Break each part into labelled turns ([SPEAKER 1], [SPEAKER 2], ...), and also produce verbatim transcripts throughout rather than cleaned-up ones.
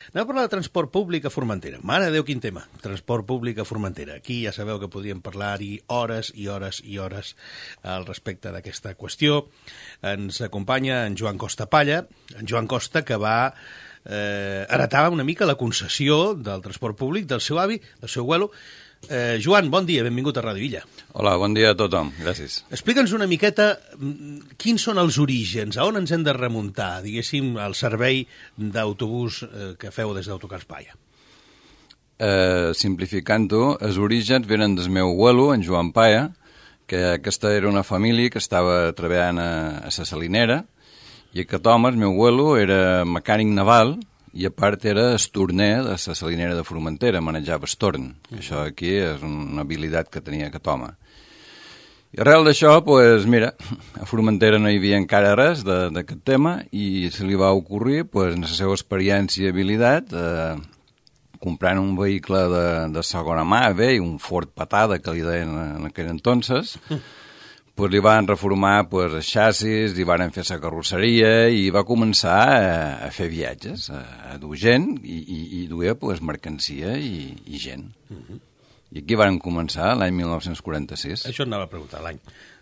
[SPEAKER 1] Anem a parlar de transport públic a Formentera. Mare de Déu, quin tema, transport públic a Formentera. Aquí ja sabeu que podríem parlar-hi hores i hores i hores al respecte d'aquesta qüestió. Ens acompanya en Joan Costa Palla, en Joan Costa, que va eh, heretar una mica la concessió del transport públic del seu avi, del seu abuelo. Eh, Joan, bon dia, benvingut a Ràdio Illa.
[SPEAKER 2] Hola, bon dia a tothom, gràcies.
[SPEAKER 1] Explica'ns una miqueta quins són els orígens, a on ens hem de remuntar, diguéssim, al servei d'autobús eh, que feu des d'Autocars Palla.
[SPEAKER 2] Eh, Simplificant-ho, els orígens venen del meu abuelo, en Joan Palla, que aquesta era una família que estava treballant a, a la salinera, i aquest home, el meu abuelo, era mecànic naval, i a part era estorner de la salinera de Formentera, manejava estorn. Uh -huh. Això aquí és una habilitat que tenia aquest home. I arrel d'això, pues, mira, a Formentera no hi havia encara res d'aquest tema i se li va ocorrir, pues, en la seva experiència i habilitat, eh, comprant un vehicle de, de segona mà, bé, un Ford Patada, que li deien en aquell entonces, pues li van reformar pues, els xassis, li van fer la carrosseria i va començar a, a fer viatges, a, a dur gent i, i, i duia pues, mercancia i, i gent. Uh-huh. I aquí van començar l'any mil nou-cents quaranta-sis.
[SPEAKER 1] Això et anava a preguntar, l'any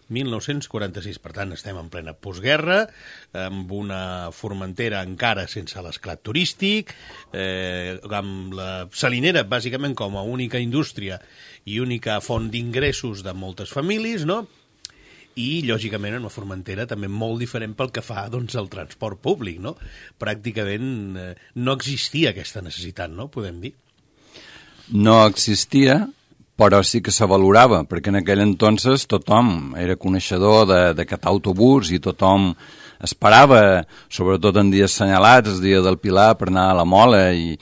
[SPEAKER 1] mil nou-cents quaranta-sis. Per tant, estem en plena postguerra, amb una Formentera encara sense l'esclat turístic, eh, amb la salinera, bàsicament, com a única indústria i única font d'ingressos de moltes famílies, no?, i, lògicament, en una Formentera també molt diferent pel que fa doncs, al transport públic, no? Pràcticament eh, no existia aquesta necessitat, no?, podem dir.
[SPEAKER 2] No existia, però sí que se valorava, perquè en aquell entonces tothom era coneixedor d'aquest autobús i tothom esperava, sobretot en dies assenyalats, el dia del Pilar, per anar a la Mola i,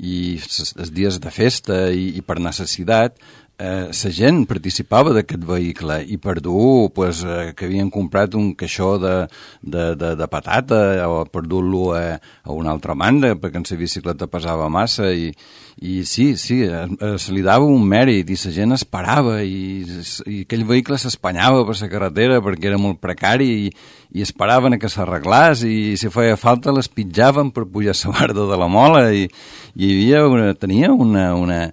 [SPEAKER 2] i els dies de festa i, i per necessitat, la eh, gent participava d'aquest vehicle i per dur pues, eh, que havien comprat un caixó de, de, de, de patata o per dur-lo a, a una altra banda perquè en la bicicleta pesava massa i, i sí, sí, eh, se li dava un mèrit i la gent esperava i, i aquell vehicle s'espanyava per la carretera perquè era molt precari i, i esperaven que s'arreglés i si feia falta les pitjaven per pujar a la barda de la Mola i, i hi havia una, tenia una... una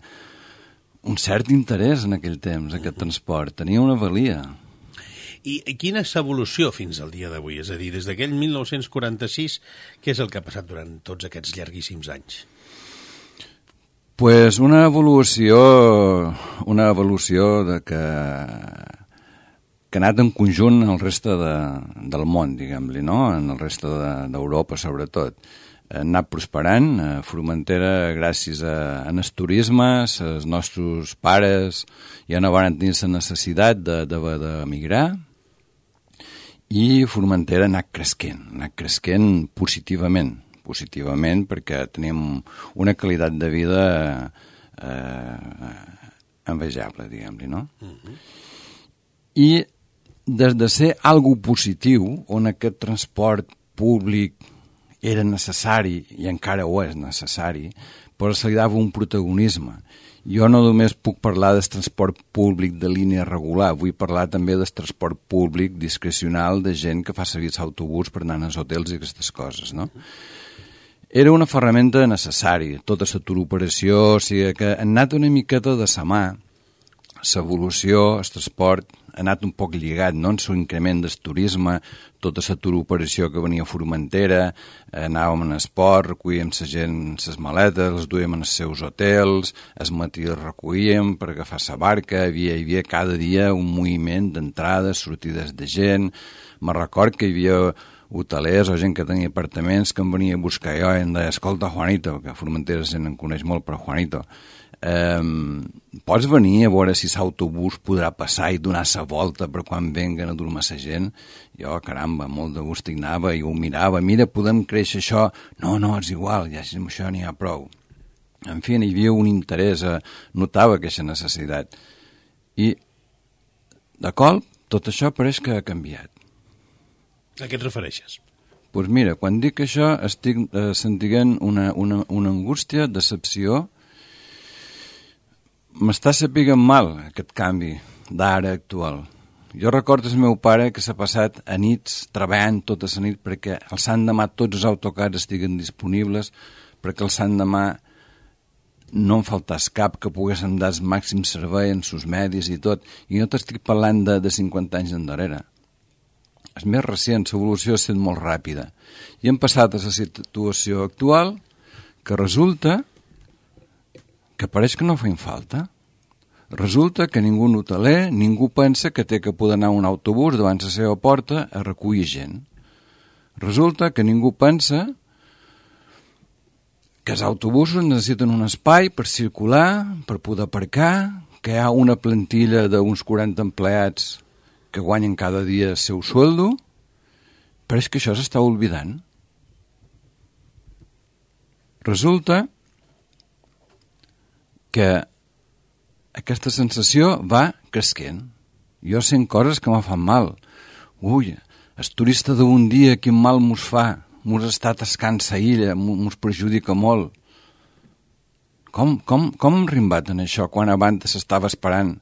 [SPEAKER 2] un cert interès en aquell temps, aquest transport. Tenia una valia.
[SPEAKER 1] I, i quina és l'evolució fins al dia d'avui? És a dir, des d'aquell mil nou-cents quaranta-sis, què és el que ha passat durant tots aquests llarguíssims anys?
[SPEAKER 2] Pues una evolució, una evolució de que, que ha anat en conjunt el reste de, del món, diguem-li, no? En el reste d'Europa, de, sobretot. Ha anat prosperant, a Formentera, gràcies a, a el turisme, els nostres pares ja no van tenir la necessitat d'emigrar i Formentera ha anat cresquent, ha anat cresquent positivament, positivament perquè tenim una qualitat de vida eh, envejable, diguem-li, no? Uh-huh. I des de ser algo positiu, on aquest transport públic era necessari, i encara ho és necessari, però se li dava un protagonisme. Jo no només puc parlar del transport públic de línia regular, vull parlar també del transport públic discrecional de gent que fa servir l'autobús per anar als hotels i aquestes coses, no? Era una ferramenta necessària, tota la turoperació, o sigui que ha anat una miqueta de sa mà, l'evolució, el transport, ha anat un poc lligat, no? En l'increment del turisme, tota la turoperació que venia a Formentera, anàvem en esport, recollíem la gent les maletes, les duíem en els seus hotels, es matí les recollíem per agafar la barca, hi havia, hi havia cada dia un moviment d'entrades, sortides de gent. Me record que hi havia hotelers o gent que tenia apartaments que em venia a buscar jo i em deia, escolta, Juanito, que a Formentera se n'en coneix molt, però Juanito, Um, pots venir a veure si l'autobús podrà passar i donar la volta per quan venguen a dur-me la gent? Jo, caramba, molt de gust hi anava i ho mirava, mira, podem créixer això? No, no, és igual, ja amb això n'hi ha prou. En fi, hi havia un interès, eh, notava aquesta necessitat. I, de cop, tot això pareix que ha canviat.
[SPEAKER 1] A què et refereixes?
[SPEAKER 2] Doncs pues mira, quan dic això estic eh, sentint una, una, una angústia, decepció. M'està sapigant mal aquest canvi d'ara actual. Jo recordo el meu pare que s'ha passat a nits treballant tota la nit perquè el sant demà tots els autocars estiguen disponibles perquè el Sant Demà no en faltàs cap que poguéssim dar el màxim servei en sus medis i tot, i no t'estic parlant de, de cinquanta anys endarrere. És més recent, l'evolució ha estat molt ràpida. I hem passat a la situació actual que resulta que pareix que no feim falta. Resulta que ningú hoteler, ningú pensa que té que poder anar un autobús davant la seva porta a recollir gent. Resulta que ningú pensa que els autobusos necessiten un espai per circular, per poder aparcar, que hi ha una plantilla d'uns quaranta empleats que guanyen cada dia el seu sueldo, però és que això s'està oblidant. Resulta que aquesta sensació va cresquent. Jo sent coses que me fan mal. Ui, el turista d'un dia quin mal mos fa, mos està tascant sa illa, mos perjudica molt. Com, com, com hem rimbat en això quan abans s'estava esperant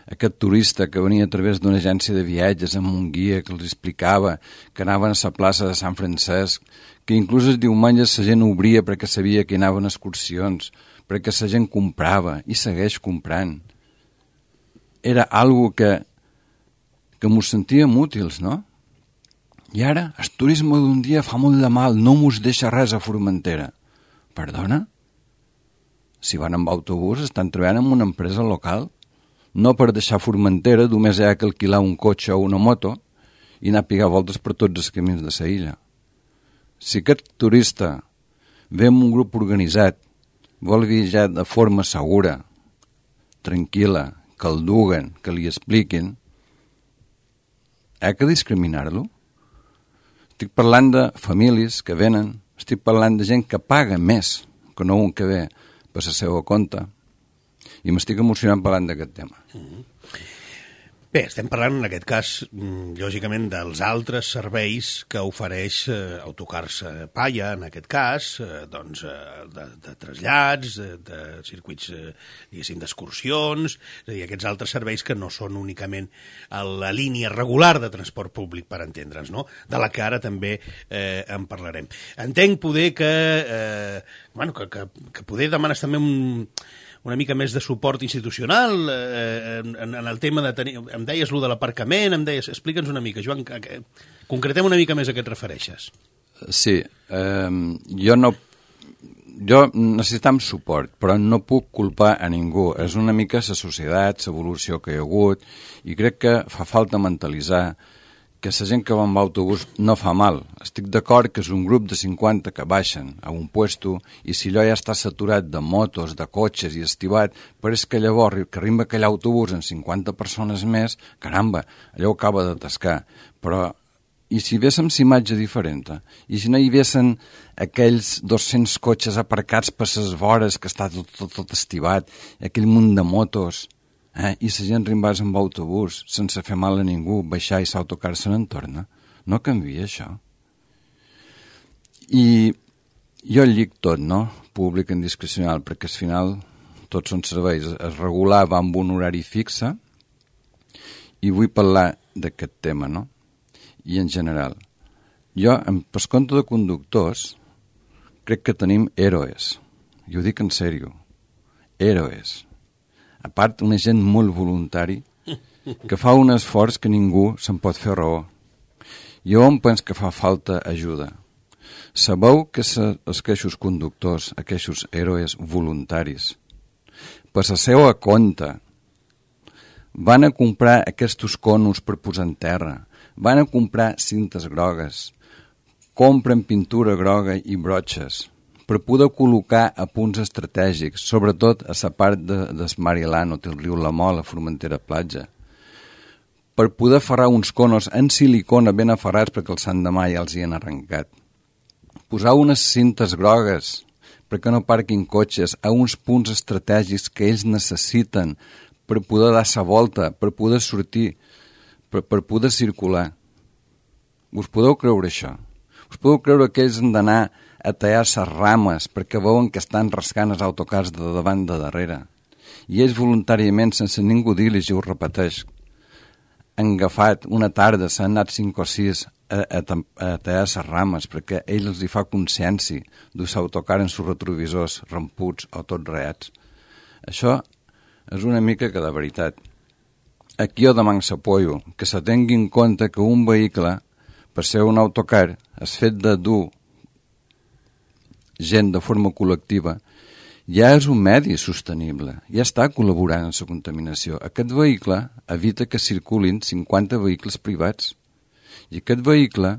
[SPEAKER 2] aquest turista que venia a través d'una agència de viatges amb un guia que els explicava que anaven a la plaça de Sant Francesc, que inclús els diumenges la gent obria perquè sabia que hi anaven excursions, perquè la gent comprava i segueix comprant. Era algo que, que mos sentíem útils, no? I ara, el turisme d'un dia fa molt de mal, no mos deixa res a Formentera. Perdona? Si van amb autobús, estan treballant en una empresa local. No per deixar Formentera, només hi ha que alquilar un cotxe o una moto i anar a pigar voltes per tots els camins de la illa. Si aquest turista ve amb un grup organitzat, vol viatjar de forma segura, tranquil·la, que el duguen, que li expliquin, ha que discriminar-lo? Estic parlant de famílies que venen, estic parlant de gent que paga més que no un que ve per la seva compte, i m'estic emocionant parlant d'aquest tema.
[SPEAKER 1] Mm-hmm. Bé, estem parlant en aquest cas, lògicament, dels altres serveis que ofereix eh, Autocars Palla, en aquest cas, eh, doncs, eh, de, de trasllats, de, de circuits, eh, diguéssim, d'excursions, és a dir, aquests altres serveis que no són únicament a la línia regular de transport públic, per entendre'ns, no? De la que ara també eh, en parlarem. Entenc poder que, eh, bueno, que, que, que poder demanes també un... una mica més de suport institucional eh, en, en el tema de tenir... Em deies lo de l'aparcament, em deies... Explica'ns una mica, Joan, que, que, concretem una mica més a què et refereixes.
[SPEAKER 2] Sí, eh, jo no... Jo necessitam suport, però no puc culpar a ningú. És una mica la societat, l'evolució que hi ha hagut, i crec que fa falta mentalitzar que la gent que va amb autobús no fa mal. Estic d'acord que és un grup de cinquanta que baixen a un puesto i si allò ja està saturat de motos, de cotxes i estivat, però és que llavors que arriba aquell autobús amb cinquanta persones més, caramba, allò acaba d'atascar. Però i si véssim la imatge diferent? I si no hi haguessin aquells dos-cents cotxes aparcats per les vores que està tot, tot, tot estivat, aquell munt de motos... Eh? I la gent rimbàs amb autobús sense fer mal a ningú, baixar i s'autocar-se en torna. No canvia això. I jo llic tot, no? Públic en discrecional, perquè al final tots són serveis. Es regulava amb un horari fixe i vull parlar d'aquest tema, no? I en general. Jo, per compte de conductors, crec que tenim héroes. I ho dic en sèrio. Héroes. A part, una gent molt voluntari que fa un esforç que ningú se'n pot fer raó. Jo em penso que fa falta ajuda. Sabeu que els queixos conductors, aquests héroes voluntaris, per la seva compte, van a comprar aquests conos per posar en terra, van a comprar cintes grogues, compren pintura groga i brotxes, per poder col·locar a punts estratègics, sobretot a la part de, de Marilano, del riu La Mola, Formentera Platja, per poder aferrar uns conos en silicona ben aferrats perquè el Sant Demà ja els hi han arrencat. Posar unes cintes grogues perquè no parquin cotxes a uns punts estratègics que ells necessiten per poder dar la volta, per poder sortir, per, per poder circular. Us podeu creure això? Us podeu creure que ells han d'anar a tallar les rames perquè veuen que estan rascant els autocars de davant de darrere. I ells voluntàriament, sense ningú dir-los, i ho repeteix, han agafat una tarda, s'han anat cinc o sis a, a, a tallar les rames, perquè ell els hi fa consciència de l'autocar en sus retrovisors ramputs o tots reats. Això és una mica que de veritat. Aquí jo demano s'apoyo que se tingui en compte que un vehicle, per ser un autocar, és fet de dur gent de forma col·lectiva, ja és un medi sostenible, ja està col·laborant en la contaminació. Aquest vehicle evita que circulin cinquanta vehicles privats i aquest vehicle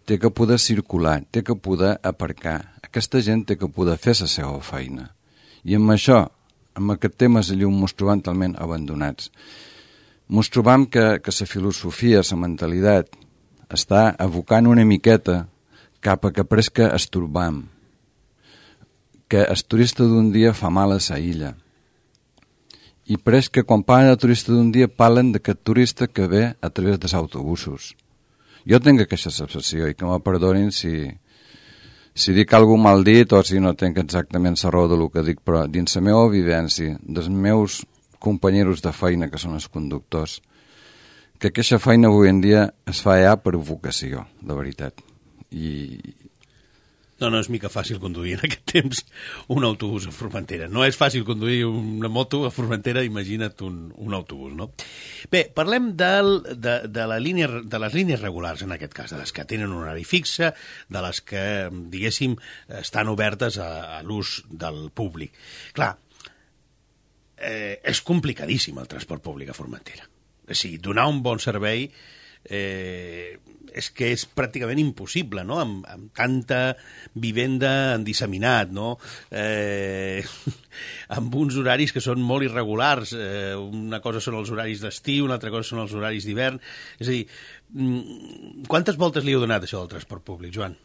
[SPEAKER 2] té que poder circular, té que poder aparcar. Aquesta gent té que poder fer la seva feina. I amb això, amb aquest tema, allò ens trobam talment abandonats. Ens trobam que, que la filosofia, la mentalitat, està abocant una miqueta cap a que presca estorbam, que el turista d'un dia fa mal a la illa. I pareix que quan parlen de turista d'un dia parlen d'aquest turista que ve a través dels autobusos. Jo tinc aquesta sensació i que me perdonin si, si dic alguna mal dit o si no tinc exactament la raó del que dic, però dins la meva vivència, dels meus companyeros de feina que són els conductors, que aquesta feina avui en dia es fa ja per vocació, de veritat. I...
[SPEAKER 1] No, no és mica fàcil conduir en aquest temps un autobús a Formentera. No és fàcil conduir una moto a Formentera, imagina't un, un autobús, no? Bé, parlem del, de, de, la línia, de les línies regulars, en aquest cas, de les que tenen un horari fixe, de les que, diguéssim, estan obertes a, a l'ús del públic. Clar, eh, és complicadíssim el transport públic a Formentera. O sigui, donar un bon servei eh, és que és pràcticament impossible, no?, amb, amb tanta vivenda en disseminat, no?, eh, amb uns horaris que són molt irregulars. Eh, una cosa són els horaris d'estiu, una altra cosa són els horaris d'hivern. És a dir, quantes voltes li heu donat això del transport públic, Joan?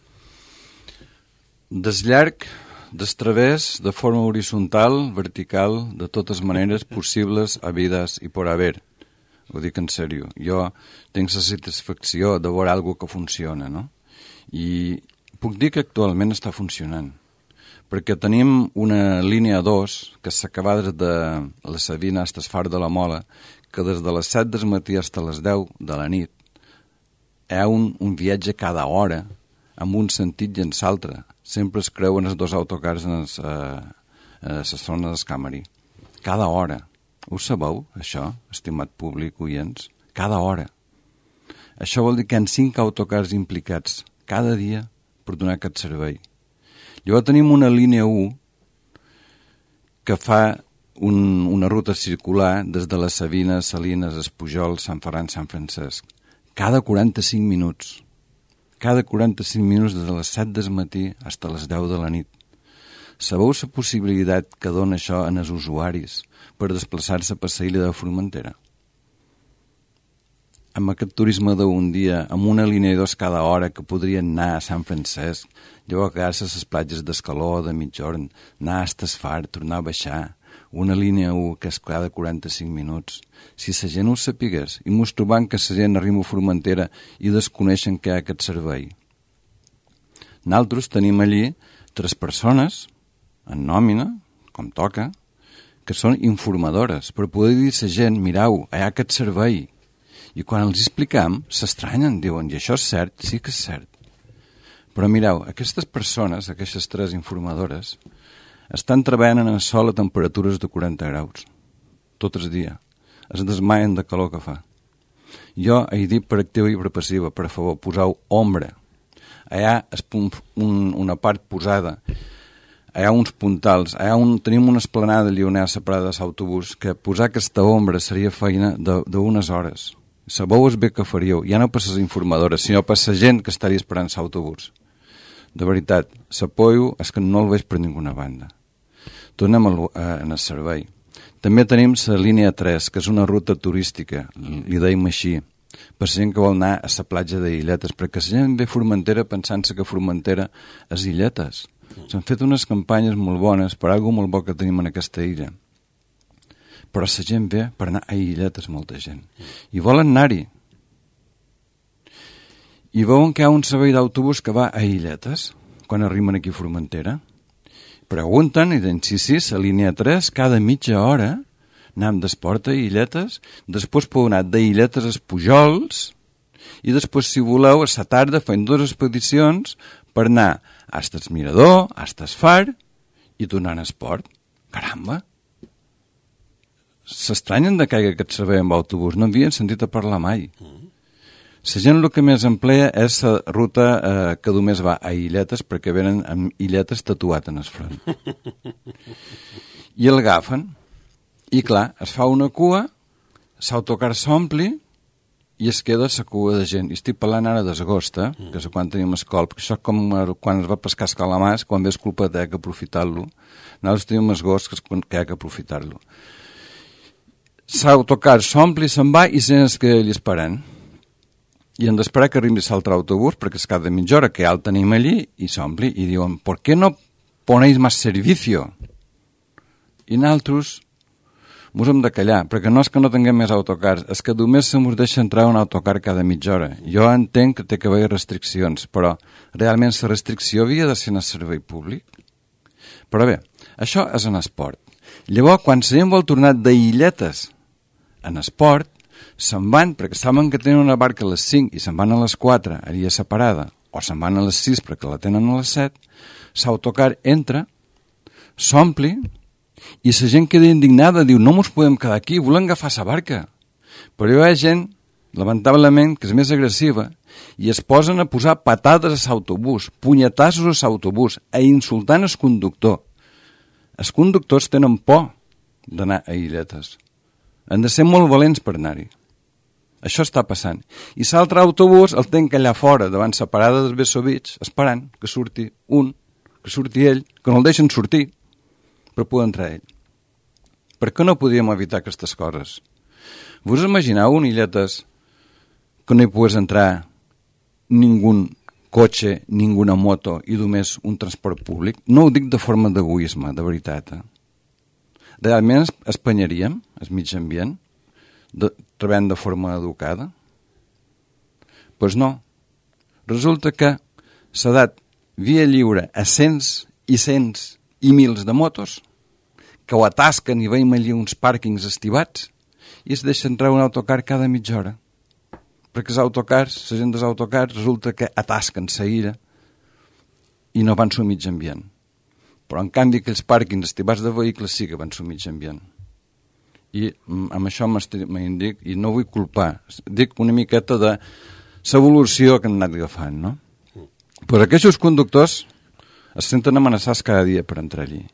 [SPEAKER 2] Des llarg, des través, de forma horitzontal, vertical, de totes maneres possibles, habides i por haver. Ho dic en sèrio. Jo tinc la satisfacció de veure alguna que funciona, no? I puc dir que actualment està funcionant, perquè tenim una línia dos que s'acaba des de la Sabina fins al Far de la Mola, que des de les set del matí fins a les deu de la nit hi ha un, un viatge cada hora amb un sentit i en l'altre. Sempre es creuen els dos autocars en la zona d'escamari. Cada hora. Ho sabeu, això, estimat públic, oients? Cada hora. Això vol dir que hi ha cinc autocars implicats cada dia per donar aquest servei. Llavors tenim una línia u que fa un, una ruta circular des de la Sabina, Salines, Espujol, Sant Ferran, Sant Francesc. Cada quaranta-cinc minuts. Cada quaranta-cinc minuts des de les set del matí fins a les deu de la nit. Sabeu la possibilitat que dona això en els usuaris per desplaçar-se per la illa de Formentera? Amb aquest turisme d'un dia, amb una línia dos cada hora que podrien anar a Sant Francesc, llavors quedar-se a les platges d'Escaló o de Mitjorn, anar a Estasfar, tornar a baixar, una línia u que és cada quaranta-cinc minuts. Si la gent ho sapigués i mos trobant que la gent arriba a Formentera i desconeixen que hi ha aquest servei. Nosaltres tenim allí tres persones en nòmina, com toca, que són informadores, per poder dir a la gent, mireu, hi ha aquest servei. I quan els explicam, s'estranyen, diuen, i això és cert? Sí que és cert. Però mireu, aquestes persones, aquestes tres informadores, estan treballant en el sol a temperatures de quaranta graus, tot el dia. Es desmaien de calor que fa. Jo he dit per activa i per passiva, per favor, poseu ombra. Allà és un, un, una part posada, hi ha uns puntals, hi ha un, tenim una esplanada lleonera separada de l'autobús, que posar aquesta ombra seria feina d'unes hores. Sabeu el bé que faríeu, ja no per les informadores, sinó per la gent que estaria esperant l'autobús. De veritat, l'apoyo és que no el veig per ninguna banda. Tornem al, a, en el servei. També tenim la línia tres, que és una ruta turística, li deim així, per la gent que vol anar a la platja d'Illetes, perquè la gent ve a Formentera pensant-se que Formentera és Illetes. S'han fet unes campanyes molt bones per alguna molt bo que tenim en aquesta illa. Però la gent ve per anar a Illetes, molta gent. I volen anar-hi. I veuen que hi ha un servei d'autobús que va a Illetes, quan arriben aquí a Formentera. Pregunten i diuen, sí, sí, la línia tres, cada mitja hora, anem d'Esport a Illetes, després podeu anar d'Illetes a Espujols, i després, si voleu, a la tarda fem dues expedicions per anar fins al Mirador, fins al Far i tornar a esport. Caramba! S'estranyen de que hi hagi aquest servei amb autobús. No havien sentit a parlar mai. La gent el que més emplea és la ruta eh, que només va a illetes perquè venen amb illetes tatuat en el front. I el agafen. I clar, es fa una cua, l'autocar s'ompli i es queda la cua de gent. I estic parlant ara d'agost, eh? Que és quan teníem escola, perquè això és com quan es va pescar el calamars, quan ve culpa de que aprofitar-lo. Nosaltres teníem agost, que és quan hi ha que aprofitar-lo. L'autocar s'ompli, se'n va i se'n es queda allà esperant. I hem d'esperar que arribi l'altre autobús, perquè és cada mitja hora que ja el tenim allí, i s'ompli, i diuen, ¿por qué no ponéis más servicio? I nosaltres mos hem de callar, perquè no és que no tinguem més autocars, és que només se mos deixa entrar un autocar cada mitja hora. Jo entenc que té que haver restriccions, però realment la restricció havia de ser en el servei públic. Però bé, això és en esport. Llavors, quan la gent vol tornar d'illetes en esport, se'n van, perquè saben que tenen una barca a les cinc i se'n van a les quatre, allà separada, o se'n van a les sis perquè la tenen a les set, l'autocar entra, s'ompli, i la gent queda indignada, diu, no mos podem quedar aquí, volem agafar la barca. Però hi ha gent, lamentablement, que és més agressiva, i es posen a posar patades a l'autobús, punyetassos a l'autobús, a insultant el conductor. Els conductors tenen por d'anar a illetes. Han de ser molt valents per anar-hi. Això està passant. I l'altre autobús el tenen allà fora, davant la parada dels Bessovits, esperant que surti un, que surti ell, que no el deixen sortir, per poder entrar ell. Per què no podíem evitar aquestes coses? Vos imagineu un illetes que no hi pogués entrar ningú cotxe, ninguna moto i només un transport públic? No ho dic de forma d'egoisme, de veritat. Eh? Realment espanyaríem el mig ambient, de, treballant de forma educada? Doncs pues no. Resulta que s'ha dat via lliure a cents i cents i mils de motos que ho atasquen i veiem allí uns pàrquings estivats i es deixa entrar un autocar cada mitja hora. Perquè els autocars, la gent dels autocars, resulta que atasquen la ira i no van al mig ambient. Però, en canvi, aquells pàrquings estivats de vehicles sí que van al mig ambient. I amb això m'indic, i no vull culpar, dic una miqueta de l'evolució que han anat agafant, no? Però aquests conductors es senten amenaçats cada dia per entrar allí.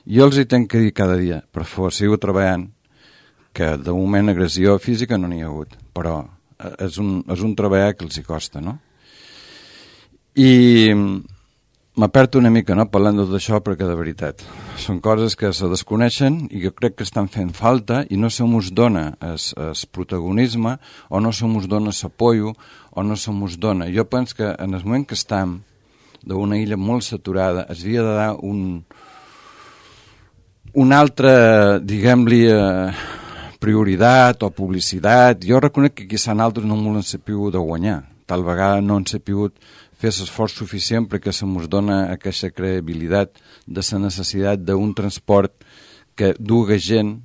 [SPEAKER 2] Jo els hi tenc que dir cada dia, per favor, sigo treballant, que de moment agressió física no n'hi ha hagut, però és un, és un treball que els hi costa, no? I m'aperto una mica, no?, parlant de tot això, perquè de veritat són coses que se desconeixen i que crec que estan fent falta i no se mos dona el protagonisme o no se mos dona l'apoio o no se mos dona. Jo penso que en el moment que estem d'una illa molt saturada es havia de dar un, un altre, diguem-li, eh, prioritat o publicitat. Jo reconec que quizà altres no m'ho han sapigut de guanyar. Tal vegada no han sapigut fer l'esforç suficient perquè se mos dona aquesta credibilitat de la necessitat d'un transport que duga gent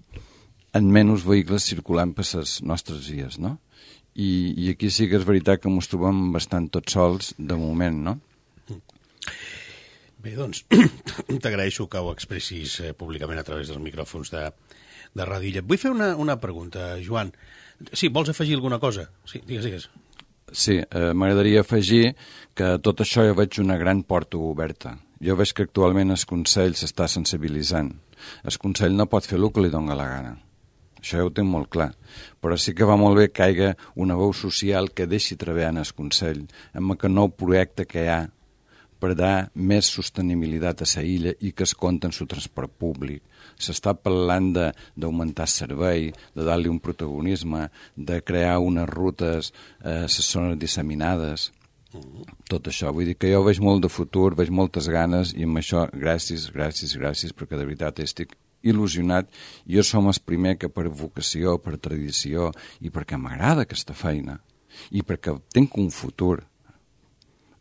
[SPEAKER 2] en menys vehicles circulant per les nostres vies, no? I, i aquí sí que és veritat que ens trobem bastant tots sols de moment, no?
[SPEAKER 1] Bé, doncs, t'agraeixo que ho expressis eh, públicament a través dels micròfons de, de Ràdio Illet. Vull fer una, una pregunta, Joan. Sí, vols afegir alguna cosa? Sí, digues, digues.
[SPEAKER 2] Sí, eh, m'agradaria afegir que tot això jo veig una gran porta oberta. Jo veig que actualment el Consell s'està sensibilitzant. El Consell no pot fer el que li dona la gana. Això ja ho tinc molt clar. Però sí que va molt bé que hi hagi una veu social que deixi treballar en el Consell amb aquest nou projecte que hi ha per dar més sostenibilitat a la illa i que es compta en el transport públic. S'està parlant d'augmentar el servei, de dar-li un protagonisme, de crear unes rutes a les zones disseminades. Tot això. Vull dir que jo veig molt de futur, veig moltes ganes i amb això gràcies, gràcies, gràcies, perquè de veritat estic il·lusionat. Jo som el primer que per vocació, per tradició i perquè m'agrada aquesta feina i perquè tinc un futur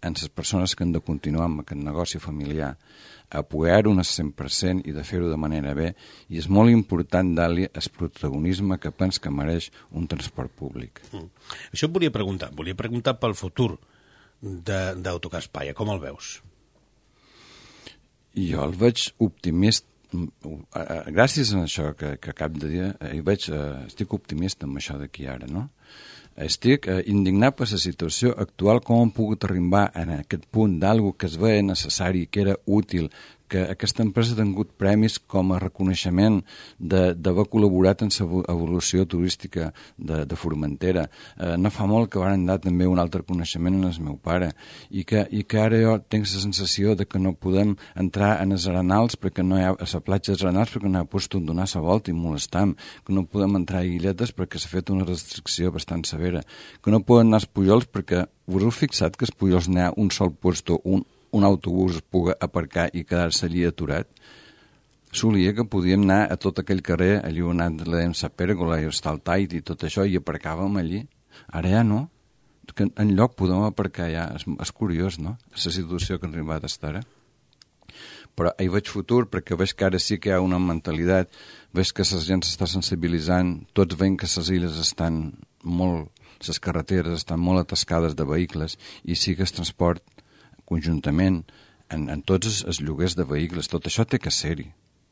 [SPEAKER 2] en les persones que han de continuar amb aquest negoci familiar, apoyar-ho al cent per cent i de fer-ho de manera bé, i és molt important dar-li el protagonisme que pens que mereix un transport públic.
[SPEAKER 1] Mm. Això et volia preguntar, volia preguntar pel futur d'Autocar Espaia, com el veus?
[SPEAKER 2] Jo el veig optimista. Gràcies a això que, que acabo de dir, eh, veig, eh, estic optimista amb això d'aquí ara, no? Estic eh, indignat per la situació actual, com hem pogut arribar en aquest punt d'algo que es veia necessari, que era útil, que aquesta empresa ha tingut premis com a reconeixement d'haver col·laborat en l'evolució turística de, de Formentera. Eh, no fa molt que van dar també un altre reconeixement en el meu pare, i que, i que ara jo tinc la sensació de que no podem entrar en els arenals perquè no hi ha, a la platja dels arenals perquè no hi ha post on donar la volta i molestam, que no podem entrar a Illetes perquè s'ha fet una restricció bastant severa, que no poden anar als Pujols perquè us heu fixat que als Pujols n'hi ha un sol puesto, un un autobús es pugui aparcar i quedar-se allí aturat. Solia que podíem anar a tot aquell carrer, allí on anat la pèrgola i està el Tait i tot això, i aparcàvem allí. Ara ja no. Que en lloc podem aparcar ja. És, és curiós, no?, la situació que ha arribat a estar ara. Però hi veig futur, perquè veig que ara sí que hi ha una mentalitat, veig que la gent s'està sensibilitzant, tots veiem que les illes estan molt, les carreteres estan molt atascades de vehicles, i sí que el transport conjuntament, en, en tots els, els lloguers de vehicles, tot això té que ser-hi,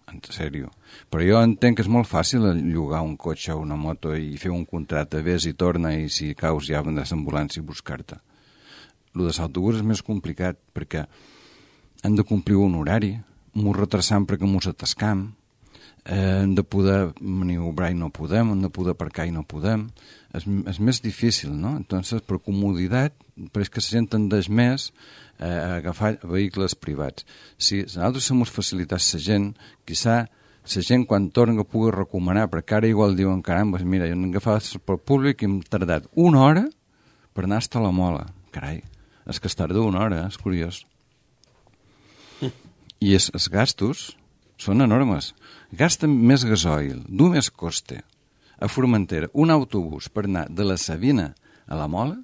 [SPEAKER 2] en sèrio. Però jo entenc que és molt fàcil llogar un cotxe o una moto i fer un contracte, vés i torna, i si caus ja vendràs ambulància i buscar-te. El de l'autobús és més complicat, perquè hem de complir un horari, m'ho retrasam perquè m'ho atascam, eh, hem de poder maniobrar i no podem, hem de poder aparcar i no podem. És, és més difícil, no? Entonces, per comoditat, però és que la gent tendeix més eh, a agafar vehicles privats. Si nosaltres se mos facilitats la gent, quizà la gent quan torna pugui recomanar, perquè ara igual diuen, caramba, mira, jo n'he agafat el transport públic i hem tardat una hora per anar a la Mola. Carai, és que es tarda una hora, és curiós. I els, els gastos són enormes. Gasten més gasoil, du més coste. A Formentera, un autobús per anar de la Sabina a la Mola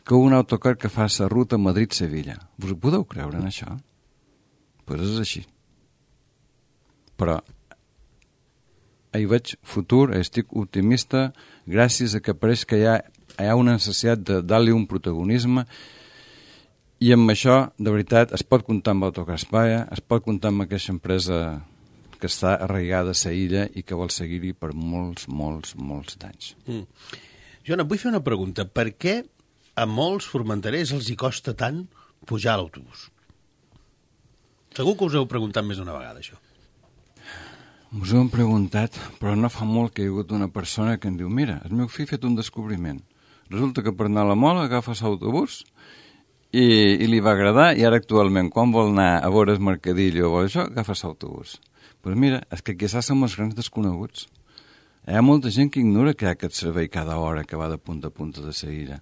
[SPEAKER 2] que un autocar que fa la ruta Madrid-Sevilla. Vos ho podeu creure en això? Doncs pues és així. Però hi veig futur, estic optimista, gràcies a que pareix que hi ha, hi ha una necessitat de dar-li un protagonisme, i amb això, de veritat, es pot comptar amb Autocar Espaia, es pot comptar amb aquesta empresa que està arraigada a la illa i que vol seguir-hi per molts, molts, molts d'anys. Mm.
[SPEAKER 1] Joan, et vull fer una pregunta. Per què a molts formenterers els hi costa tant pujar a l'autobús? Segur que us heu preguntat més d'una vegada, això.
[SPEAKER 2] Us ho hem preguntat, però no fa molt que hi ha hagut una persona que em diu, mira, el meu fill ha fet un descobriment. Resulta que per anar a la Mola agafes l'autobús i, i li va agradar, i ara actualment, quan vol anar a veure el mercadillo o això, agafes l'autobús. Doncs mira, és que quizás som els grans desconeguts. Hi ha molta gent que ignora que hi ha aquest servei cada hora que va de punta a punta de la illa,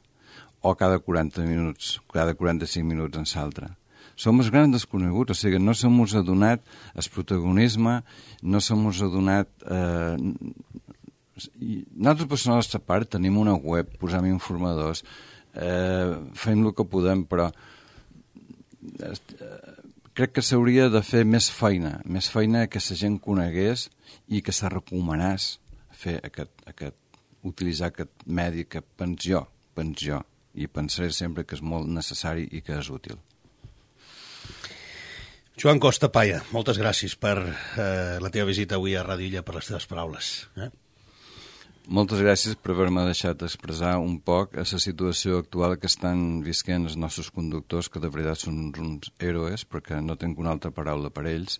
[SPEAKER 2] o cada quaranta minuts, cada quaranta-cinc minuts en l'altre. Som els grans desconeguts, o sigui, no se mos ha donat el protagonisme, no se mos ha donat... Eh, nosaltres, per la nostra part, tenim una web, posem informadors, eh, fem el que podem, però... Eh, crec que s'hauria de fer més feina, més feina que la gent conegués i que se recomanés fer aquest, aquest, utilitzar aquest medi que pens jo, pens jo, i pensaré sempre que és molt necessari i que és útil.
[SPEAKER 1] Joan Costa Paya, moltes gràcies per eh, la teva visita avui a Ràdio Illa, per les teves paraules. Eh?
[SPEAKER 2] Moltes gràcies per haver-me deixat expressar un poc a la situació actual que estan visquent els nostres conductors, que de veritat són uns héroes, perquè no tinc una altra paraula per ells,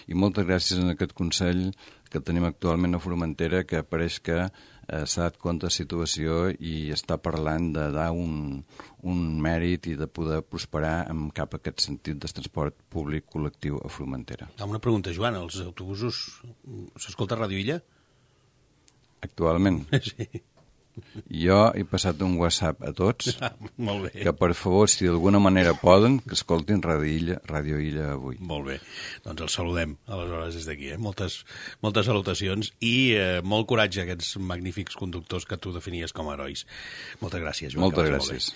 [SPEAKER 2] i moltes gràcies en aquest Consell que tenim actualment a Formentera, que pareix que eh, s'ha dat compte de la situació i està parlant de dar un, un mèrit i de poder prosperar en cap a aquest sentit de transport públic col·lectiu a Formentera.
[SPEAKER 1] Una pregunta, Joan, els autobusos s'escolta a Ràdio Illa?
[SPEAKER 2] Actualment.
[SPEAKER 1] Sí.
[SPEAKER 2] Jo he passat un WhatsApp a tots,
[SPEAKER 1] ah, molt bé.
[SPEAKER 2] Que per favor, si d'alguna manera poden, que escoltin Ràdio Illa, Ràdio Illa avui.
[SPEAKER 1] Molt bé, doncs els saludem aleshores des d'aquí, eh? moltes, moltes salutacions i eh, molt coratge a aquests magnífics conductors que tu definies com a herois. Moltes gràcies, Joan.
[SPEAKER 2] Moltes gràcies.